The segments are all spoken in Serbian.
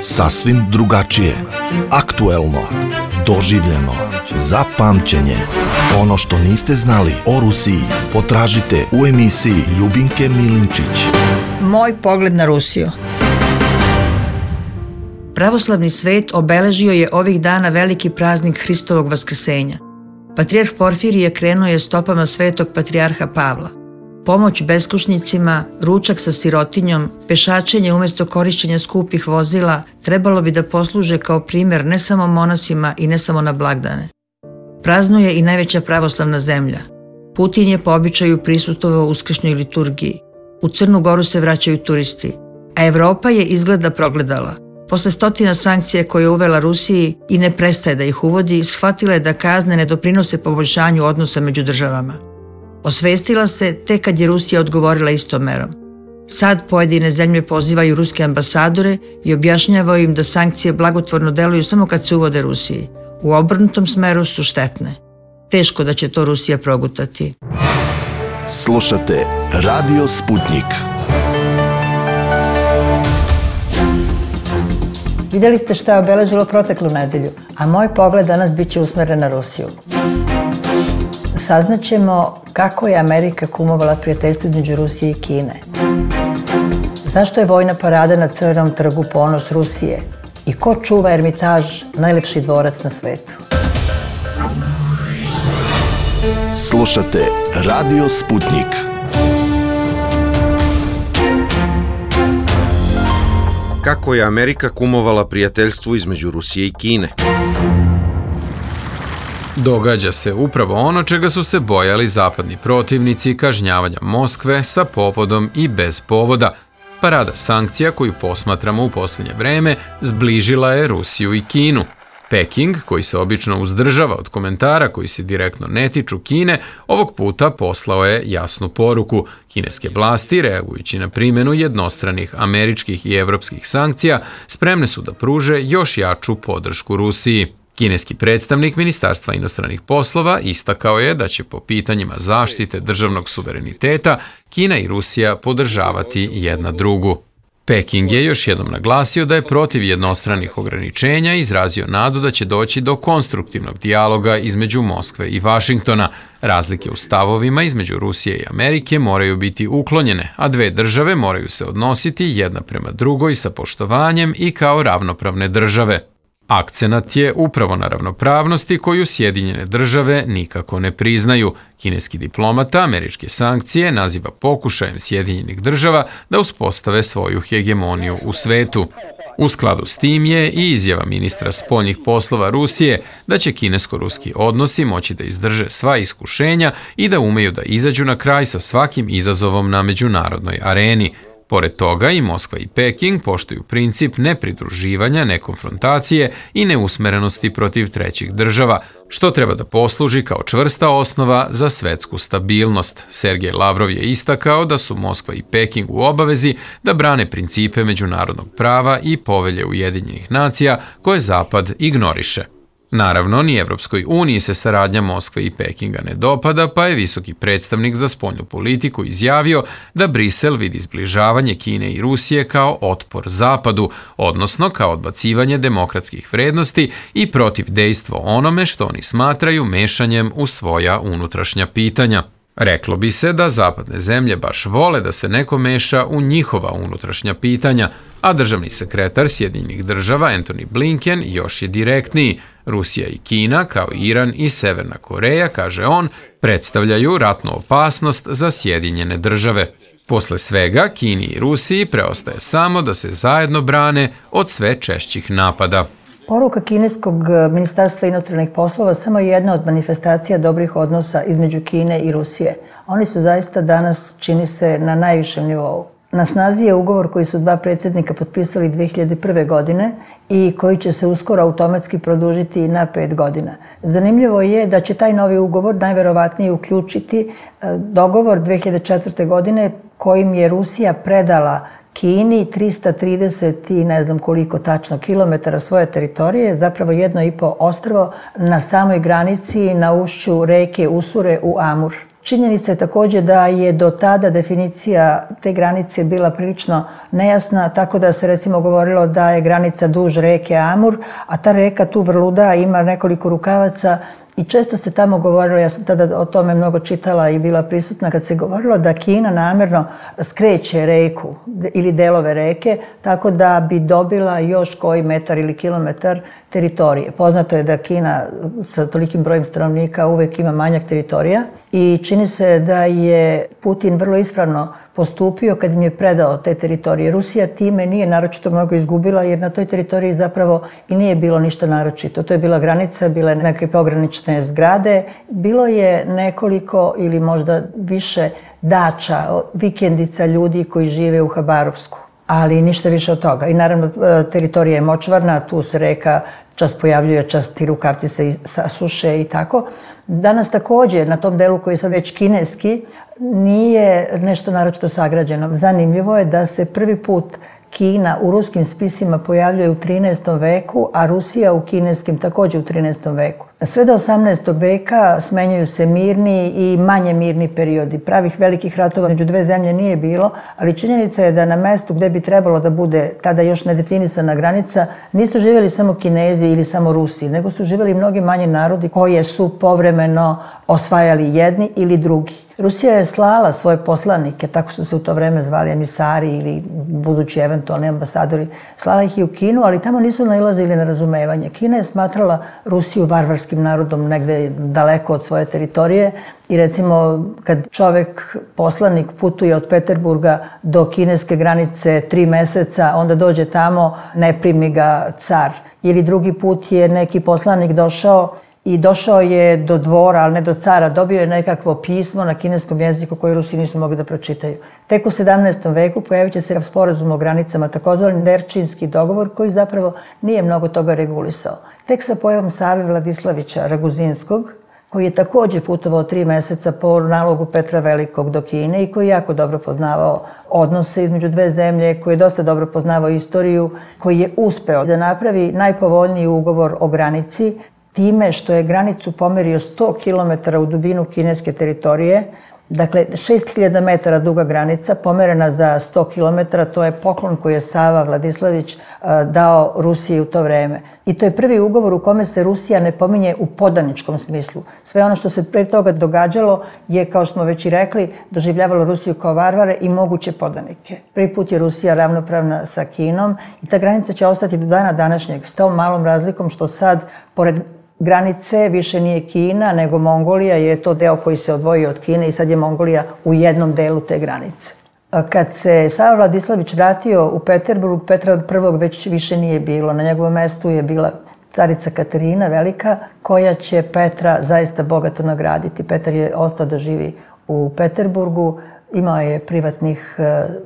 Sasvim drugačije, aktuelno, doživljeno, za pamćenje. Ono što niste znali o Rusiji potražite u emisiji Ljubinke Milinčić. Moj pogled na Rusiju. Pravoslavni svet obeležio je ovih dana veliki praznik Hristovog vaskrsenja. Patrijarh Porfirije krenuo je stopama svetog patrijarha Pavla. Pomoć beskućnicima, ručak sa sirotinjom, pešačenje umjesto korišćenja skupih vozila trebalo bi da posluže kao primjer ne samo monasima i ne samo na blagdane. Praznuje i najveća pravoslavna zemlja. Putin je po običaju prisustvovao uskršnjoj liturgiji. U Crnu Goru se vraćaju turisti, a Evropa je izgleda progledala. Posle stotina sankcija koje je uvela Rusiji i ne prestaje da ih uvodi, shvatila je da kazne ne doprinose poboljšanju odnosa među državama. Osvestila se tek kad je Rusija odgovorila istom merom. Sad pojedine zemlje pozivaju ruske ambasadore i objašnjavaju im da sankcije blagotvorno deluju samo kad se uvode Rusiji. U obrnutom smeru su štetne. Teško da će to Rusija progutati. Slušate Radio Sputnik. Vidjeli ste šta je obeležilo proteklu nedelju, a moj pogled danas bit će usmeren na Rusiju. Saznaćemo kako je Amerika kumovala prijateljstvo između Rusije i Kine. Zašto je vojna parada na Crvenom trgu ponos Rusije? I ko čuva Ermitaž, najlepši dvorac na svetu? Slušate Radio Sputnik. Kako je Amerika kumovala prijateljstvu između Rusije i Kine? Događa se upravo ono čega su se bojali zapadni protivnici kažnjavanja Moskve sa povodom i bez povoda. Parada sankcija koju posmatramo u posljednje vreme zbližila je Rusiju i Kinu. Peking, koji se obično uzdržava od komentara koji se direktno ne tiču Kine, ovog puta poslao je jasnu poruku. Kineske vlasti, reagujući na primjenu jednostranih američkih i evropskih sankcija, spremne su da pruže još jaču podršku Rusiji. Kineski predstavnik Ministarstva inostranih poslova istakao je da će po pitanjima zaštite državnog suvereniteta Kina i Rusija podržavati jedna drugu. Peking je još jednom naglasio da je protiv jednostranih ograničenja i izrazio nadu da će doći do konstruktivnog dijaloga između Moskve i Vašingtona. Razlike u stavovima između Rusije i Amerike moraju biti uklonjene, a dve države moraju se odnositi jedna prema drugoj sa poštovanjem i kao ravnopravne države. Akcenat je upravo na ravnopravnosti koju Sjedinjene države nikako ne priznaju. Kineski diplomata američke sankcije naziva pokušajem Sjedinjenih država da uspostave svoju hegemoniju u svetu. U skladu s tim je i izjava ministra spoljnih poslova Rusije da će kinesko-ruski odnosi moći da izdrže sva iskušenja i da umeju da izađu na kraj sa svakim izazovom na međunarodnoj areni. Pored toga i Moskva i Peking poštuju princip nepridruživanja, nekonfrontacije i neusmerenosti protiv trećih država, što treba da posluži kao čvrsta osnova za svetsku stabilnost. Sergej Lavrov je istakao da su Moskva i Peking u obavezi da brane principe međunarodnog prava i povelje Ujedinjenih nacija koje Zapad ignoriše. Naravno, ni Evropskoj uniji se saradnja Moskve i Pekinga ne dopada, pa je visoki predstavnik za spoljnu politiku izjavio da Brisel vidi zbližavanje Kine i Rusije kao otpor Zapadu, odnosno kao odbacivanje demokratskih vrednosti i protiv dejstvo onome što oni smatraju mešanjem u svoja unutrašnja pitanja. Reklo bi se da zapadne zemlje baš vole da se neko meša u njihova unutrašnja pitanja, a državni sekretar Sjedinjenih država Antony Blinken još je direktniji. Rusija i Kina, kao Iran i Severna Koreja, kaže on, predstavljaju ratnu opasnost za Sjedinjene države. Posle svega, Kini i Rusiji preostaje samo da se zajedno brane od sve češćih napada. Poruka kineskog ministarstva inostranih poslova samo je jedna od manifestacija dobrih odnosa između Kine i Rusije. Oni su zaista danas, čini se, na najvišem nivou. Na snazi je ugovor koji su dva predsjednika potpisali 2001. godine i koji će se uskoro automatski produžiti na 5 godina. Zanimljivo je da će taj novi ugovor najverovatnije uključiti dogovor 2004. godine kojim je Rusija predala Kini 330 i ne znam koliko tačno kilometara svoje teritorije, zapravo 1,5 ostrvo na samoj granici na ušću reke Usure u Amur. Činjenica je također da je do tada definicija te granice bila prilično nejasna, tako da se recimo govorilo da je granica duž reke Amur, a ta reka tu vrluda, ima nekoliko rukavaca i često se tamo govorilo, ja sam tada o tome mnogo čitala i bila prisutna, kad se govorilo da Kina namjerno skreće reku ili delove reke tako da bi dobila još koji metar ili kilometar teritorije. Poznato je da Kina sa tolikim brojem stanovnika uvek ima manjak teritorija i čini se da je Putin vrlo ispravno postupio kad im je predao te teritorije. Rusija time nije naročito mnogo izgubila jer na toj teritoriji zapravo i nije bilo ništa naročito. To je bila granica, bile neke pogranične zgrade, bilo je nekoliko ili možda više dača, vikendica ljudi koji žive u Habarovsku, ali ništa više od toga. I naravno teritorija je močvarna, tu se reka čas pojavljuje, čas ti rukavci se sasuše i tako. Danas također na tom delu koji je sad već kineski nije nešto naročito sagrađeno. Zanimljivo je da se prvi put Kina u ruskim spisima pojavljuje u 13. veku, a Rusija u kineskim također u 13. veku. Sve do 18. veka smenjuju se mirni i manje mirni periodi. Pravih velikih ratova među dve zemlje nije bilo, ali činjenica je da na mestu gdje bi trebalo da bude tada još nedefinisana granica nisu živjeli samo Kinezi ili samo Rusi, nego su živjeli mnogi manji narodi koje su povremeno osvajali jedni ili drugi. Rusija je slala svoje poslanike, tako su se u to vreme zvali emisari ili budući eventualni ambasadori, slala ih i u Kinu, ali tamo nisu nailazili na razumevanje. Kina je smatrala Rusiju varvarskim narodom negde daleko od svoje teritorije i recimo kad čovek, poslanik, putuje od Peterburga do kineske granice 3 meseca, onda dođe tamo, ne primi ga car. Ili drugi put je neki poslanik došao je do dvora, ali ne do cara, dobio je nekakvo pismo na kineskom jeziku koje Rusi nisu mogli da pročitaju. Tek u 17. veku pojavit će se sporazum o granicama, takozvani Nerčinski dogovor, koji zapravo nije mnogo toga regulisao. Tek sa pojavom Save Vladislavića Raguzinskog, koji je također putovao 3 meseca po nalogu Petra Velikog do Kine i koji je jako dobro poznavao odnose između dve zemlje, koji je dosta dobro poznavao istoriju, koji je uspeo da napravi najpovoljniji ugovor o granici, time što je granicu pomerio 100 km u dubinu kineske teritorije. Dakle, 6000 metara duga granica, pomerena za 100 km, to je poklon koji je Sava Vladislavić dao Rusiji u to vreme. I to je prvi ugovor u kome se Rusija ne pominje u podaničkom smislu. Sve ono što se pre toga događalo je, kao što smo već i rekli, doživljavalo Rusiju kao varvare i moguće podanike. Prvi put je Rusija ravnopravna sa Kinom i ta granica će ostati do dana današnjeg s tom malom razlikom što sad, pored granice više nije Kina, nego Mongolija, je to deo koji se odvojio od Kine i sad je Mongolija u jednom delu te granice. Kad se Sava Vladislavić vratio u Peterburg, Petra I već više nije bilo. Na njegovom mestu je bila carica Katarina Velika, koja će Petra zaista bogato nagraditi. Petar je ostao da živi u Peterburgu, imao je privatnih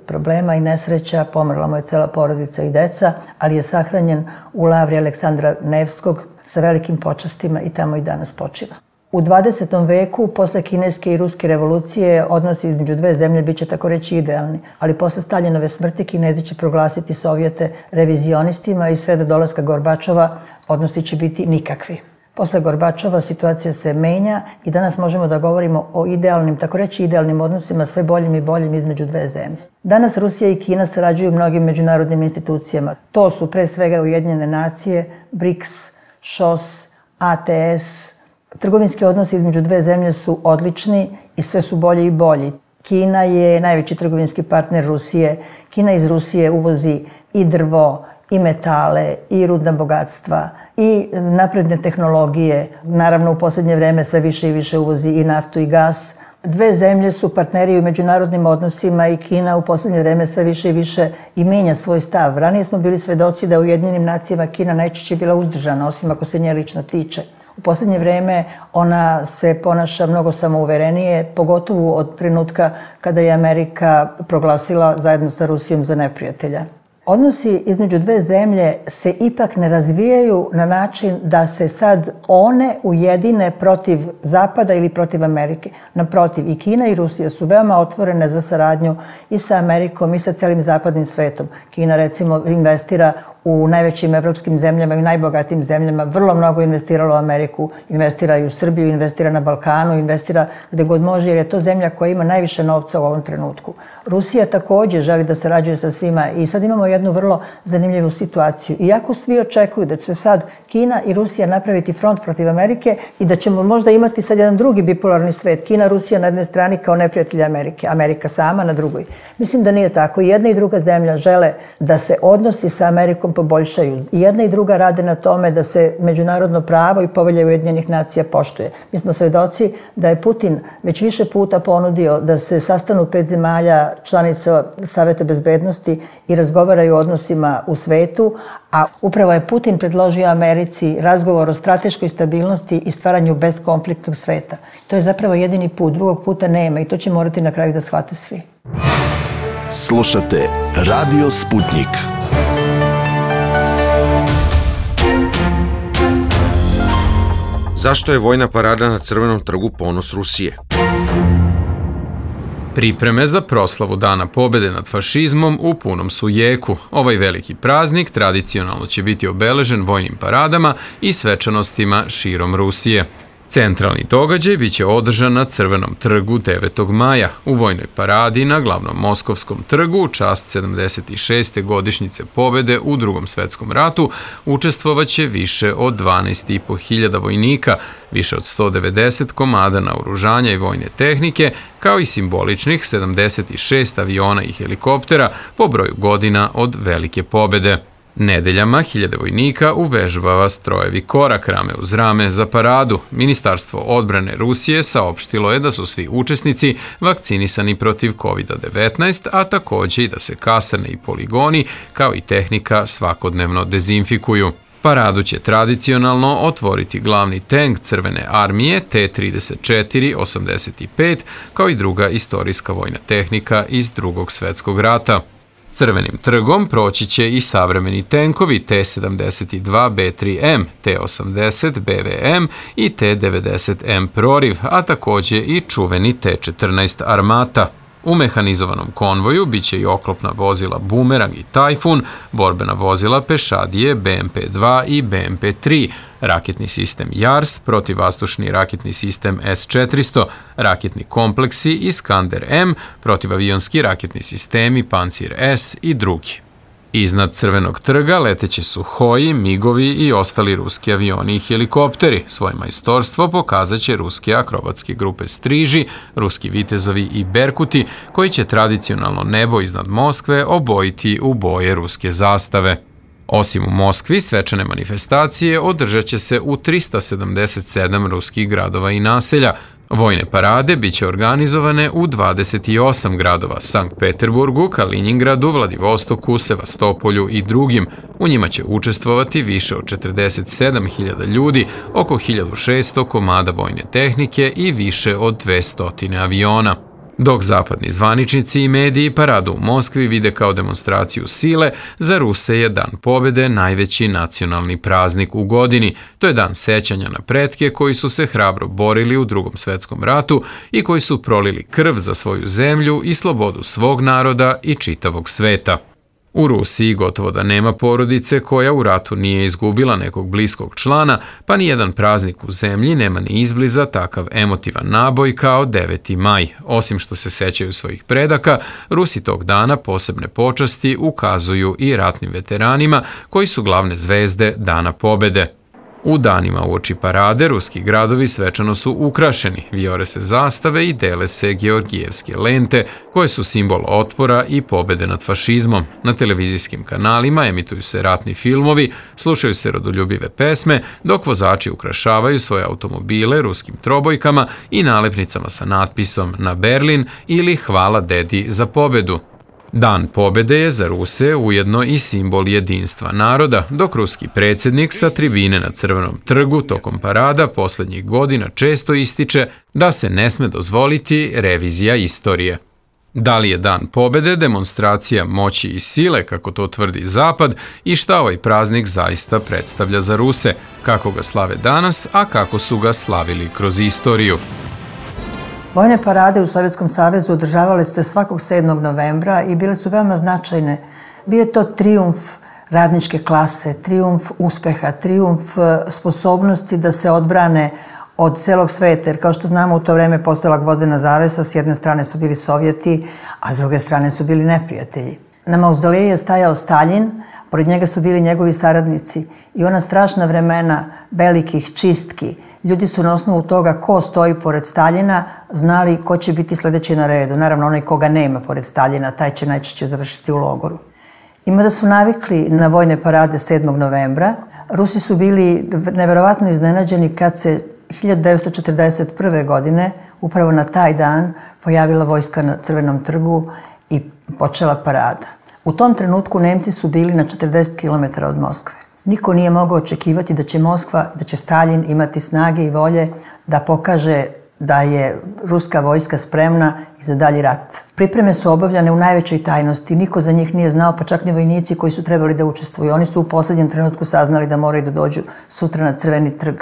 problema i nesreća, pomrla mu je cela porodica i deca, ali je sahranjen u lavri Aleksandra Nevskog sa velikim počastima i tamo i danas počiva. U 20. veku, posle kineske i ruske revolucije, odnosi između dve zemlje biće tako reći idealni, ali posle Staljinove smrti Kinezi će proglasiti Sovjete revizionistima i sve do dolaska Gorbačova odnosi će biti nikakvi. Posle Gorbačova situacija se menja i danas možemo da govorimo o idealnim, tako reći idealnim odnosima, sve boljim i boljim između dve zemlje. Danas Rusija i Kina sarađuju mnogim međunarodnim institucijama. To su pre svega Ujedinjene nacije, BRICS, ŠOS, ATS. Trgovinski odnosi između dve zemlje su odlični i sve su bolji i bolji. Kina je najveći trgovinski partner Rusije. Kina iz Rusije uvozi i drvo, i metale, i rudna bogatstva, i napredne tehnologije. Naravno, u posljednje vreme sve više i više uvozi i naftu i gas. Dve zemlje su partneri u međunarodnim odnosima i Kina u posljednje vreme sve više i više i menja svoj stav. Ranije smo bili svedoci da u Ujedinjenim nacijama Kina najčešće bila uzdržana, osim ako se nje lično tiče. U posljednje vreme ona se ponaša mnogo samouverenije, pogotovo od trenutka kada je Amerika proglasila zajedno sa Rusijom za neprijatelja. Odnosi između dve zemlje se ipak ne razvijaju na način da se sad one ujedine protiv Zapada ili protiv Amerike. Naprotiv, i Kina i Rusija su veoma otvorene za saradnju i sa Amerikom i sa celim zapadnim svetom. Kina recimo investira u najvećim evropskim zemljama i u najbogatijim zemljama, vrlo mnogo investiralo u Ameriku, investira i u Srbiju, investira na Balkanu, investira gde god može, jer je to zemlja koja ima najviše novca u ovom trenutku. Rusija takođe želi da sarađuje sa svima i sad imamo jednu vrlo zanimljivu situaciju. Iako svi očekuju da će sad Kina i Rusija napraviti front protiv Amerike i da ćemo možda imati sad jedan drugi bipolarni svet, Kina, Rusija na jednoj strani kao neprijatelji Amerike, Amerika sama na drugoj. Mislim da nije tako. I jedna i druga zemlja žele da se odnosi sa Amerikom poboljšaju. I jedna i druga rade na tome da se međunarodno pravo i Povelja Ujedinjenih nacija poštuje. Mi smo svedoci da je Putin već više puta ponudio da se sastanu 5 zemalja članica Saveta bezbednosti i razgovaraju o odnosima u svetu, a upravo je Putin predložio Americi razgovor o strateškoj stabilnosti i stvaranju bezkonfliktnog sveta. To je zapravo jedini put, drugog puta nema i to će morati na kraju da shvate svi. Slušate Radio Sputnik. Zašto je vojna parada na Crvenom trgu ponos Rusije? Pripreme za proslavu Dana pobede nad fašizmom u punom su jeku. Ovaj veliki praznik tradicionalno će biti obeležen vojnim paradama i svečanostima širom Rusije. Centralni događaj biće održan na Crvenom trgu 9. maja. U vojnoj paradi na glavnom Moskovskom trgu u čast 76. godišnjice pobede u Drugom svetskom ratu učestvovaće više od 12.500 vojnika, više od 190 komada naoružanja i vojne tehnike, kao i simboličnih 76 aviona i helikoptera po broju godina od velike pobede. Nedeljama hiljade vojnika uvežbava strojevi korak rame uz rame za paradu. Ministarstvo odbrane Rusije saopštilo je da su svi učesnici vakcinisani protiv COVID-19, a takođe i da se kasarne i poligoni kao i tehnika svakodnevno dezinfikuju. Paradu će tradicionalno otvoriti glavni tank Crvene armije T-34-85, kao i druga istorijska vojna tehnika iz Drugog svetskog rata. Crvenim trgom proći će i savremeni tenkovi T-72B3M, T-80 BVM i T-90M Proriv, a takođe i čuveni T-14 Armata. U mehanizovanom konvoju biće i oklopna vozila Bumerang i Tajfun, borbena vozila pešadije BMP-2 i BMP-3, raketni sistem JARS, protivvazdušni raketni sistem S-400, raketni kompleksi Iskander-M, protivavionski raketni sistemi Pancir-S i drugi. Iznad Crvenog trga leteće Suhoji, Migovi i ostali ruski avioni i helikopteri. Svoje majstorstvo pokazat će ruske akrobatske grupe Striži, ruski vitezovi i Berkuti, koji će tradicionalno nebo iznad Moskve obojiti u boje ruske zastave. Osim u Moskvi, svečane manifestacije održat će se u 377 ruskih gradova i naselja. Vojne parade biće organizovane u 28 gradova, Sankt Peterburgu, Kaliningradu, Vladivostoku, Sevastopolju i drugim. U njima će učestvovati više od 47.000 ljudi, oko 1.600 komada vojne tehnike i više od 200 aviona. Dok zapadni zvaničnici i mediji paradu u Moskvi vide kao demonstraciju sile, za Ruse je Dan pobede najveći nacionalni praznik u godini. To je dan sećanja na pretke koji su se hrabro borili u Drugom svetskom ratu i koji su prolili krv za svoju zemlju i slobodu svog naroda i čitavog sveta. U Rusiji gotovo da nema porodice koja u ratu nije izgubila nekog bliskog člana, pa ni jedan praznik u zemlji nema ni izbliza takav emotivan naboj kao 9. maj. Osim što se sećaju svojih predaka, Rusi tog dana posebne počasti ukazuju i ratnim veteranima koji su glavne zvezde Dana pobede. U danima uoči parade ruski gradovi svečano su ukrašeni, vijore se zastave i dele se georgijevske lente, koje su simbol otpora i pobede nad fašizmom. Na televizijskim kanalima emituju se ratni filmovi, slušaju se rodoljubive pesme, dok vozači ukrašavaju svoje automobile ruskim trobojkama i nalepnicama sa natpisom "Na Berlin" ili "Hvala dedi za pobedu". Dan pobede je za Ruse ujedno i simbol jedinstva naroda, dok ruski predsjednik sa tribine na Crvenom trgu tokom parada poslednjih godina često ističe da se ne sme dozvoliti revizija istorije. Da li je Dan pobede demonstracija moći i sile, kako to tvrdi Zapad, i šta ovaj praznik zaista predstavlja za Ruse, kako ga slave danas, a kako su ga slavili kroz istoriju? Vojne parade u Sovjetskom savezu održavale se svakog 7. novembra i bile su veoma značajne. Bio je to trijumf radničke klase, trijumf uspeha, trijumf sposobnosti da se odbrane od celog sveta, jer kao što znamo u to vreme postojala gvozdena zavesa, s jedne strane su bili Sovjeti, a s druge strane su bili neprijatelji. Na mauzoleju je stajao Staljin, pored njega su bili njegovi saradnici i ona strašna vremena velikih čistki. Ljudi su na osnovu toga ko stoji pored Staljina znali ko će biti sledeći na redu. Naravno, onaj koga nema pored Staljina, taj će najčešće završiti u logoru. Ima da su navikli na vojne parade 7. novembra. Rusi su bili neverovatno iznenađeni kad se 1941. godine, upravo na taj dan, pojavila vojska na Crvenom trgu i počela parada. U tom trenutku Nemci su bili na 40 km od Moskve. Niko nije mogao očekivati da će Moskva, da će Staljin imati snage i volje da pokaže da je ruska vojska spremna i za dalji rat. Pripreme su obavljane u najvećoj tajnosti, niko za njih nije znao, pa čak ni vojnici koji su trebali da učestvuju. Oni su u poslednjem trenutku saznali da moraju da dođu sutra na Crveni trg.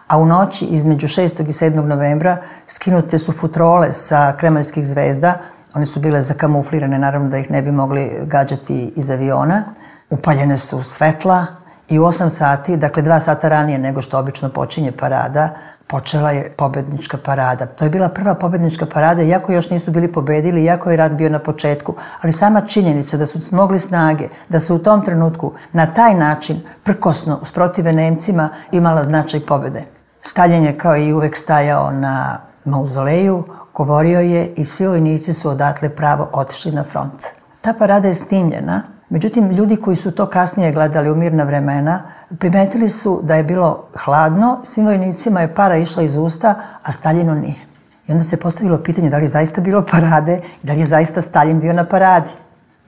A u noći između 6. i 7. novembra skinute su futrole sa kremaljskih zvezda. One su bile zakamuflirane, naravno da ih ne bi mogli gađati iz aviona. Upaljene su svetla i u 8 sati, dakle 2 sata ranije nego što obično počinje parada, počela je pobednička parada. To je bila prva pobednička parada, iako još nisu bili pobedili, iako je rat bio na početku. Ali sama činjenica da su smogli snage, da se u tom trenutku na taj način prkosno usprotive Nemcima imala značaj pobede. Staljin je kao i uvek stajao na mauzoleju, govorio je i svi vojnici su odatle pravo otišli na front. Ta parada je snimljena, međutim ljudi koji su to kasnije gledali u mirna vremena primetili su da je bilo hladno, svim vojnicima je para išla iz usta, a Staljinu nije. I onda se postavilo pitanje da li je zaista bilo parade i da li je zaista Staljin bio na paradi.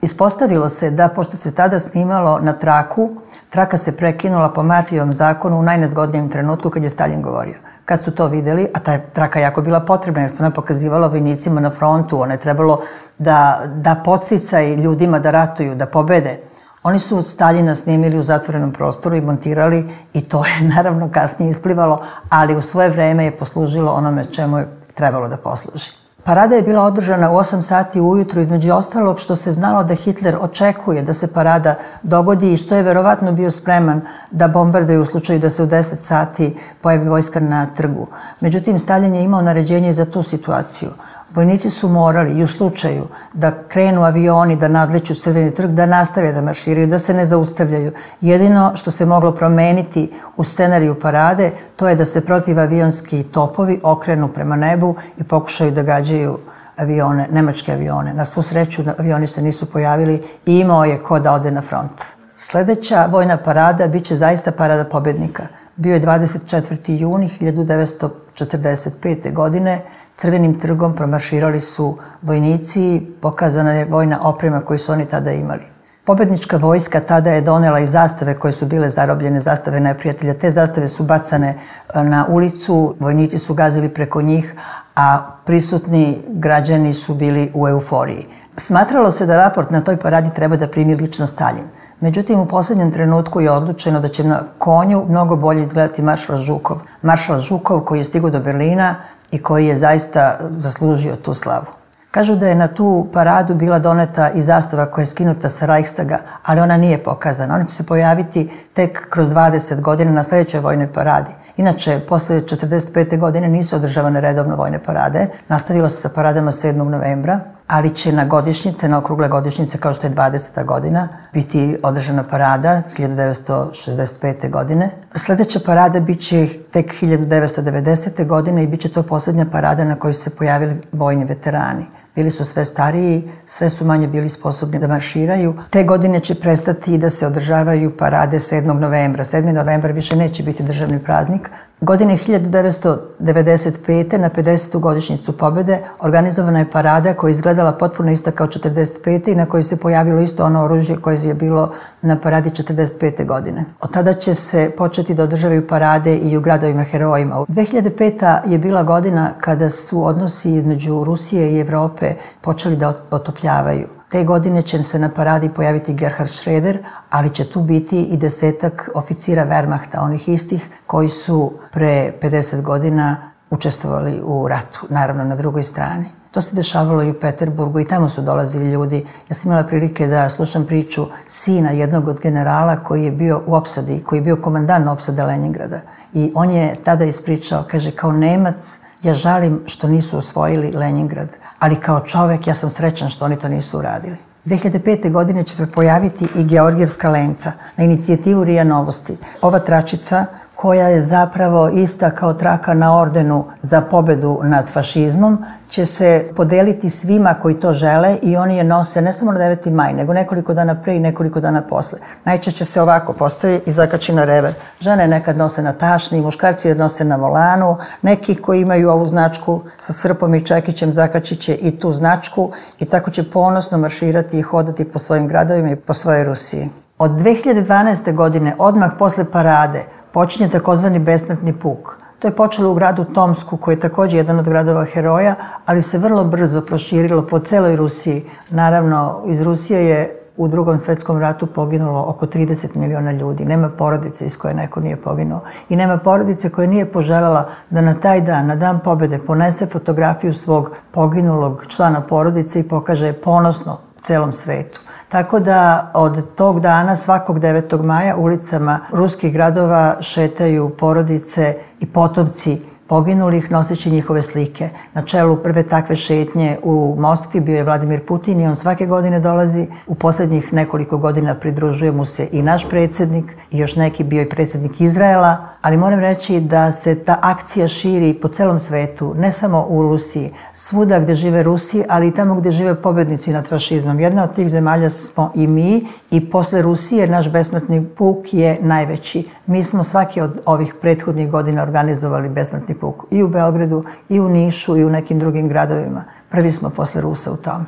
Ispostavilo se da, pošto se tada snimalo na traku, traka se prekinula po Murphyjevom zakonu u najnezgodnijem trenutku kad je Staljin govorio. Kad su to videli, a ta traka jako bila potrebna jer se ona pokazivala vojnicima na frontu, ona je trebalo da podsticaj ljudima da ratuju, da pobede. Oni su Staljina snimili u zatvorenom prostoru i montirali i to je naravno kasnije isplivalo, ali u svoje vreme je poslužilo onome čemu je trebalo da posluži. Parada je bila održana u 8 sati ujutru, između ostalog što se znalo da Hitler očekuje da se parada dogodi i što je verovatno bio spreman da bombarduje u slučaju da se u 10 sati pojavi vojska na trgu. Međutim, Staljin je imao naređenje za tu situaciju. Vojnici su morali i u slučaju da krenu avioni, da nadleću Crveni trg, da nastave da marširaju, da se ne zaustavljaju. Jedino što se moglo promeniti u scenariju parade, to je da se protivavionski topovi okrenu prema nebu i pokušaju da gađaju avione, nemačke avione. Na svu sreću avioni se nisu pojavili i imao je ko da ode na front. Sledeća vojna parada biće zaista parada pobednika. Bio je 24. juni 1945. godine. Crvenim trgom promarširali su vojnici, pokazana je vojna oprema koju su oni tada imali. Pobednička vojska tada je donela i zastave koje su bile zarobljene, zastave neprijatelja. Te zastave su bacane na ulicu, vojnici su gazili preko njih, a prisutni građani su bili u euforiji. Smatralo se da raport na toj paradi treba da primi lično Staljin. Međutim, u poslednjem trenutku je odlučeno da će na konju mnogo bolje izgledati maršal Žukov. Maršal Žukov koji je stigao do Berlina i koji je zaista zaslužio tu slavu. Kažu da je na tu paradu bila doneta i zastava koja je skinuta sa Reichstaga, ali ona nije pokazana. Ona će se pojaviti tek kroz 20 godina na sledećoj vojnoj paradi. Inače, posle 1945. godine nisu održavane redovno vojne parade. Nastavilo se sa paradama 7. novembra, ali će na godišnjice, na okrugle godišnjice, kao što je 20. godina, biti održana parada 1965. godine. Sledeća parada biće tek 1990. godine i biće to poslednja parada na kojoj su se pojavili vojni veterani. Bili su sve stariji, sve su manje bili sposobni da marširaju. Te godine će prestati da se održavaju parade 7. novembra. 7. novembar više neće biti državni praznik. Godine 1995. na 50. godišnjicu pobede organizovana je parada koja je izgledala potpuno ista kao 45. i na kojoj se pojavilo isto ono oružje koje je bilo na paradi 45. godine. Od tada će se početi da održavaju parade i u gradovima herojima. 2005. je bila godina kada su odnosi između Rusije i Evrope Evrope počeli da otopljavaju. Te godine će se na paradi pojaviti Gerhard Schröder, ali će tu biti i 10 oficira Wehrmachta, onih istih koji su pre 50 godina učestvovali u ratu, naravno na drugoj strani. To se dešavalo i u Peterburgu i tamo su dolazili ljudi. Ja sam imala prilike da slušam priču sina jednog od generala koji je bio u opsadi, koji je bio komandant opsade Leningrada. I on je tada ispričao, kaže, kao Nemac ja žalim što nisu osvojili Leningrad, ali kao čovek ja sam srećan što oni to nisu uradili. 2005. godine će se pojaviti i Georgijevska lenca na inicijativu RIA Novosti. Ova tračica koja je zapravo ista kao traka na ordenu za pobedu nad fašizmom, će se podeliti svima koji to žele i oni je nose ne samo na 9. maj, nego nekoliko dana pre i nekoliko dana posle. Najčešće se ovako postavi i zakači na rever. Žene nekad nose na tašni, muškarci je nose na volanu, neki koji imaju ovu značku sa srpom i čekićem zakačit će i tu značku i tako će ponosno marširati i hodati po svojim gradovima i po svojoj Rusiji. Od 2012. godine, odmah posle parade, počinje takozvani besmrtni puk. To je počelo u gradu Tomsku, koji je također jedan od gradova heroja, ali se vrlo brzo proširilo po celoj Rusiji. Naravno, iz Rusije je u Drugom svetskom ratu poginulo oko 30 miliona ljudi. Nema porodice iz koje neko nije poginuo. I nema porodice koja nije poželjela da na taj dan, na dan pobede, ponese fotografiju svog poginulog člana porodice i pokaže ponosno celom svetu. Tako da od tog dana, svakog 9. maja, ulicama ruskih gradova šetaju porodice i potomci poginulih noseći njihove slike. Na čelu prve takve šetnje u Moskvi bio je Vladimir Putin i on svake godine dolazi. U poslednjih nekoliko godina pridružuje mu se i naš predsjednik i još neki bio i predsjednik Izraela, ali moram reći da se ta akcija širi po celom svetu, ne samo u Rusiji, svuda gde žive Rusi, ali i tamo gde žive pobednici nad fašizmom. Jedna od tih zemalja smo i mi i posle Rusije naš besmrtni puk je najveći. Mi smo svaki od ovih prethodnih godina organizovali besmrtni puk i u Beogradu, i u Nišu, i u nekim drugim gradovima. Prvi smo posle Rusa u tome.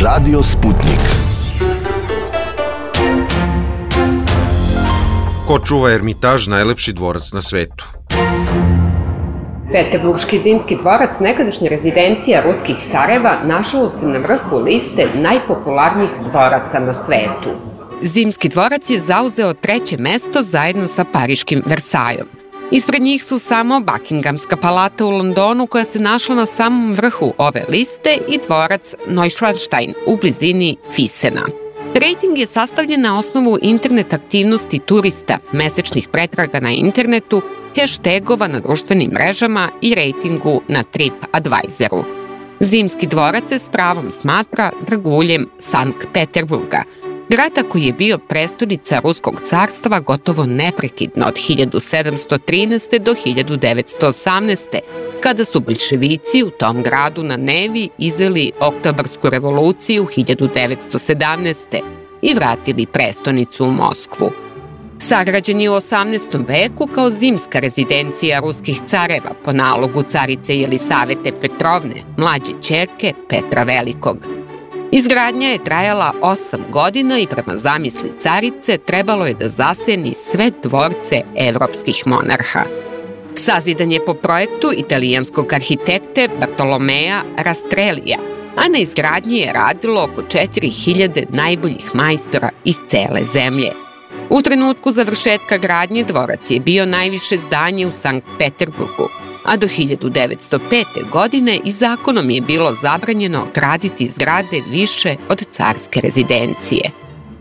Radio Sputnik. Ko čuva Ermitaž, najlepši dvorac na svetu? Peterburški zimski dvorac, nekadašnja rezidencija ruskih careva, našao se na vrhu liste najpopularnijih dvoraca na svetu. Zimski dvorac je zauzeo 3. mesto zajedno sa pariškim Versajom. Ispred njih su samo Buckinghamska palata u Londonu, koja se našla na samom vrhu ove liste, i dvorac Neuschwanstein u blizini Fisena. Rating je sastavljen na osnovu internet aktivnosti turista, mesečnih pretraga na internetu, hashtagova na društvenim mrežama i ratingu na TripAdvisoru. Zimski dvorac se s pravom smatra draguljem Sankt Peterburga, grada koji je bio prestonica Ruskog carstva gotovo neprekidno od 1713. do 1918. kada su boljševici u tom gradu na Nevi izveli Oktobarsku revoluciju 1917. i vratili prestonicu u Moskvu. Sagrađen je u 18. veku kao zimska rezidencija ruskih careva po nalogu carice Jelisavete Petrovne, mlađe ćerke Petra Velikog. Izgradnja je trajala 8 godina i prema zamisli carice trebalo je da zaseni sve dvorce evropskih monarha. Sazidan je po projektu italijanskog arhitekte Bartolomea Rastrellija, a na izgradnji je radilo oko 4000 najboljih majstora iz cele zemlje. U trenutku završetka gradnje dvorac je bio najviše zdanje u Sankt Peterburgu, a do 1905. godine i zakonom je bilo zabranjeno graditi zgrade više od carske rezidencije.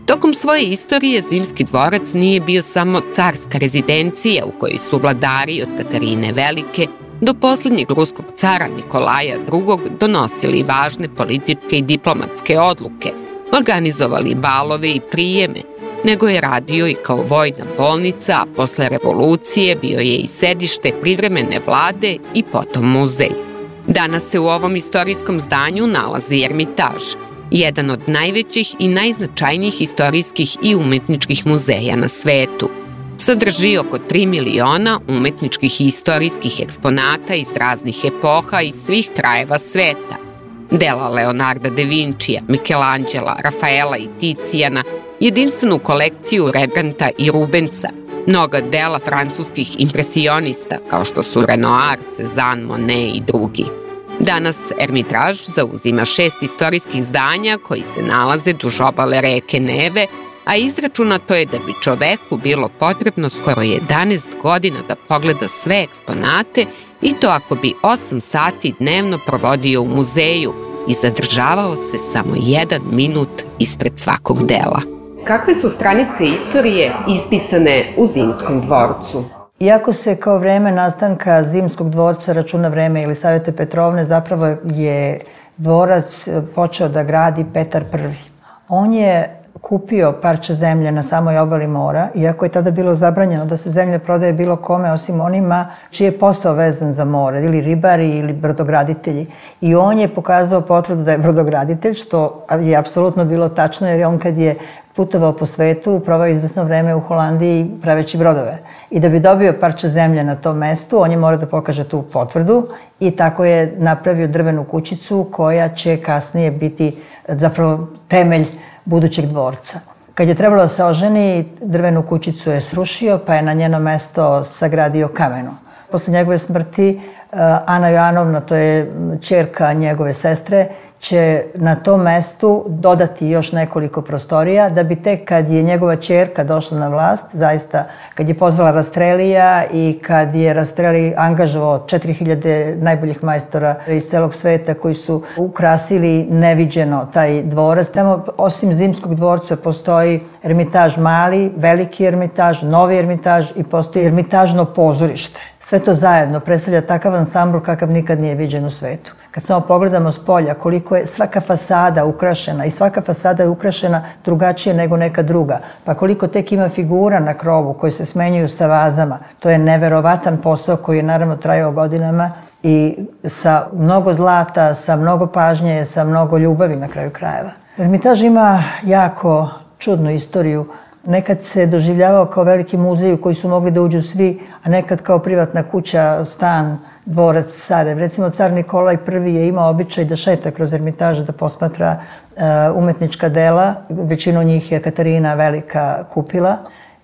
Tokom svoje istorije Zimski dvorac nije bio samo carska rezidencija u kojoj su vladari od Katarine Velike do posljednjeg ruskog cara Nikolaja II. Donosili važne političke i diplomatske odluke, organizovali balove i prijeme, nego je radio i kao vojna bolnica, a posle revolucije bio je i sedište privremene vlade i potom muzej. Danas se u ovom istorijskom zdanju nalazi Ermitaž, jedan od najvećih i najznačajnijih istorijskih i umetničkih muzeja na svetu. Sadrži oko 3 miliona umetničkih i istorijskih eksponata iz raznih epoha i svih krajeva sveta. Dela Leonarda da Vincija, Michelangela, Rafaela i Ticijana, jedinstvenu kolekciju Rembrandta i Rubensa, mnoga dela francuskih impresionista kao što su Renoir, Cezanne, Monet i drugi. Danas Ermitaž zauzima 6 istorijskih zdanja koji se nalaze duž obale reke Neve, a izračunato je da bi čoveku bilo potrebno skoro 11 godina da pogleda sve eksponate i to ako bi 8 sati dnevno provodio u muzeju i zadržavao se samo 1 minut ispred svakog dela. Kakve su stranice istorije ispisane u Zimskom dvorcu? Iako se kao vreme nastanka Zimskog dvorca računa vreme Jelisavete Petrovne, zapravo je dvorac počeo da gradi Petar I. On je kupio parče zemlje na samoj obali mora, iako je tada bilo zabranjeno da se zemlja prodaje bilo kome osim onima čiji je posao vezan za more, ili ribari ili brodograditelji. I on je pokazao potvrdu da je brodograditelj, što je apsolutno bilo tačno, jer je on kad je putovao po svetu, provao izvesno vreme u Holandiji praveći brodove. I da bi dobio parče zemlje na tom mestu, on je morao da pokaže tu potvrdu i tako je napravio drvenu kućicu koja će kasnije biti zapravo temelj budućeg dvorca. Kad je trebalo da se oženi, drvenu kućicu je srušio, pa je na njeno mesto sagradio kameno. Posle njegove smrti, Ana Joanovna, to je ćerka njegove sestre, će na tom mestu dodati još nekoliko prostorija, da bi tek kad je njegova ćerka došla na vlast, zaista kad je pozvala Rastrelija i kad je Rastreli angažovao 4000 najboljih majstora iz celog sveta koji su ukrasili neviđeno taj dvorac. Tamo osim Zimskog dvorca postoji Ermitaž mali, veliki Ermitaž, novi Ermitaž i postoji Ermitažno pozorište. Sve to zajedno predstavlja takav ansambl kakav nikad nije viđen u svetu. Kad samo pogledamo s polja koliko je svaka fasada ukrašena i svaka fasada je ukrašena drugačije nego neka druga, pa koliko tek ima figura na krovu koje se smenjuju sa vazama, to je neverovatan posao koji je naravno trajao godinama i sa mnogo zlata, sa mnogo pažnje, sa mnogo ljubavi na kraju krajeva. Ermitaž ima jako čudnu istoriju. Nekad se doživljavao kao veliki muzej u koji su mogli da uđu svi, a nekad kao privatna kuća, stan, dvorac, carev. Recimo, car Nikolaj I je imao običaj da šeta kroz Ermitaž, da posmatra umetnička dela. Većinu njih je Katarina Velika kupila.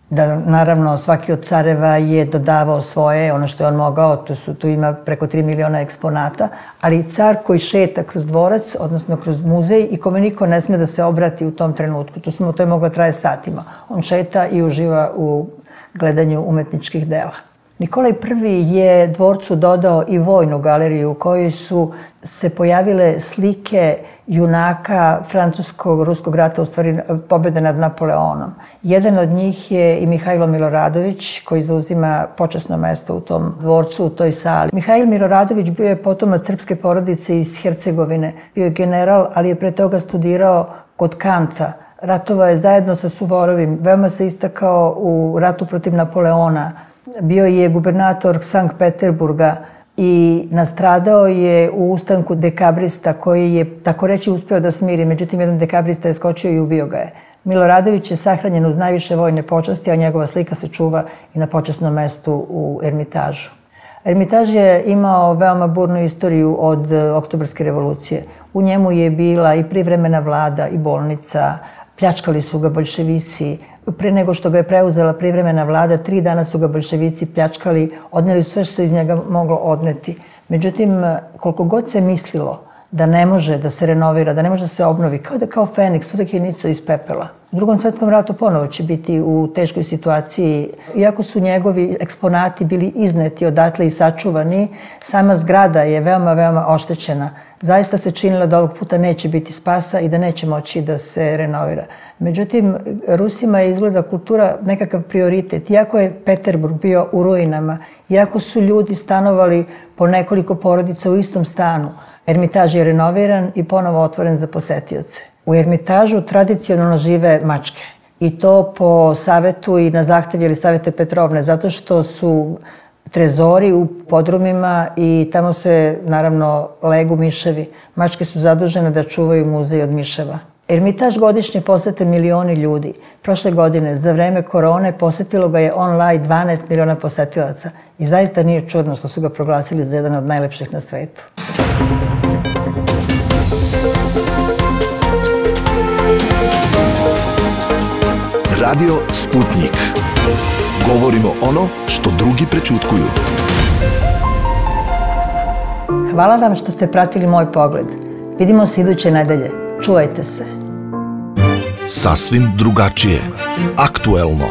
Da, naravno, svaki od careva je dodavao svoje, ono što je on mogao, tu ima preko 3 miliona eksponata, ali car koji šeta kroz dvorac, odnosno kroz muzej i kome niko ne sme da se obrati u tom trenutku, to je moglo traje satima. On šeta i uživa u gledanju umetničkih dela. Nikolaj I je dvorcu dodao i vojnu galeriju u kojoj su se pojavile slike junaka francuskog-ruskog rata, u stvari pobjede nad Napoleonom. Jedan od njih je i Mihajlo Miloradović, koji zauzima počasno mesto u tom dvorcu, u toj sali. Mihajlo Miloradović bio je potomac srpske porodice iz Hercegovine. Bio je general, ali je pre toga studirao kod Kanta. Ratovao je zajedno sa Suvorovim. Veoma se istakao u ratu protiv Napoleona. Bio je gubernator Sankt Peterburga i nastradao je u ustanku dekabrista koji je, tako reći, uspeo da smiri. Međutim, jedan dekabrista je skočio i ubio ga je. Miloradović je sahranjen uz najviše vojne počasti, a njegova slika se čuva i na počasnom mestu u Ermitažu. Ermitaž je imao veoma burnu istoriju od Oktobarske revolucije. U njemu je bila i privremena vlada i bolnica, pljačkali su ga boljševici. Pre nego što ga je preuzela privremena vlada, 3 dana su ga boljševici pljačkali, odneli sve što se iz njega moglo odneti. Međutim, koliko god se mislilo da ne može da se renovira, da ne može da se obnovi, kao Feniks, uvek je nicao iz pepela. U Drugom svetskom ratu ponovo će biti u teškoj situaciji. Iako su njegovi eksponati bili izneti odatle i sačuvani, sama zgrada je veoma, veoma oštećena. Zaista se činilo da ovog puta neće biti spasa i da neće moći da se renovira. Međutim, Rusima je izgleda kultura nekakav prioritet. Iako je Peterburg bio u ruinama, iako su ljudi stanovali po nekoliko porodica u istom stanu, Ermitaž je renoviran i ponovo otvoren za posetioce. U Ermitažu tradicionalno žive mačke. I to po savetu i na zahtev Jelisavete Petrovne, zato što su trezori u podrumima i tamo se, naravno, legu miševi. Mačke su zadužene da čuvaju muzej od miševa. Ermitaž godišnje posete milioni ljudi. Prošle godine, za vreme korone, posetilo ga je online 12 miliona posetilaca. I zaista nije čudno što su ga proglasili za jedan od najlepših na svetu. Radio Sputnik. Govorimo ono što drugi prećutkuju. Hvala vam što ste pratili Moj pogled. Vidimo se iduće nedelje. Čuvajte se. Sasvim drugačije, aktuelno,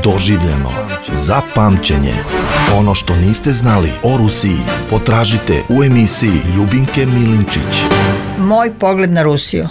doživljeno, za pamćenje. Ono što niste znali o Rusiji potražite u emisiji Ljubinke Milinčić. Moj pogled na Rusiju.